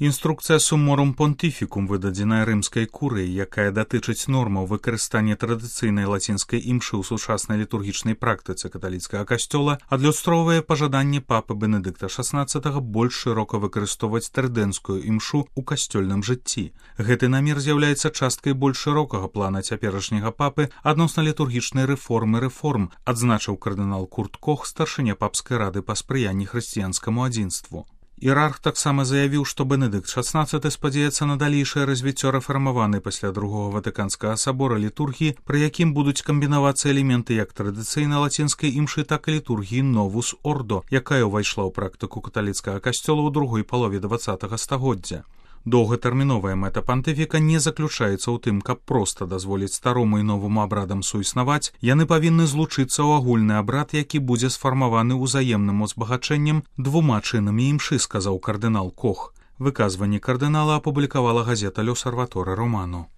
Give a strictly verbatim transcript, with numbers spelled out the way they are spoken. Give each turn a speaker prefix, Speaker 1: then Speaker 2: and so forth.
Speaker 1: Інструкцыя Summorum Pontificum, выдадзеная рымскай курыяй, якая датычыць нормаў выкарыстання традыцыйнай лацінскай імшы ў сучаснай літургічнай практыцы каталіцкага касцёла, адлюстроўвае пажаданне папы Бенедыкта шаснаццатага больш шырока выкарыстоўваць трыдэнскую імшу ў касцёльным жыцці. Гэты намер з'яўляецца часткай больш шырокага плана цяперашняга папы адносна літургічнай рэформы рэформ, адзначыў кардынал Курт Кох, старшыня папскай рады па спрыянні хрысціянскаму адзінству. Іерарх таксама заявіў, што Бенедыкт шаснаццаты спадзяецца на далейшае развіццё рэфармаванай пасля другога ватыканскага сабора літургіі, пры якім будуць камбінавацца элементы як традыцыйнай лацінскай імшы, так і літургіі Новус Ордо, якая ўвайшла ў практыку каталіцкага касцёла ў другой палове дваццатага стагоддзя. Доўгатэрміновая мэта пантыфіка не заключаецца ў тым, каб проста дазволіць старому і новаму абрадам суіснаваць, яны павінны злучыцца ў агульны абрад, які будзе сфармаваны ўзаемным узбагачэннем двума чынамі імшы, сказаў кардынал Кох. Выказванне кардынала апублікавала газета «L'Osservatore Romano».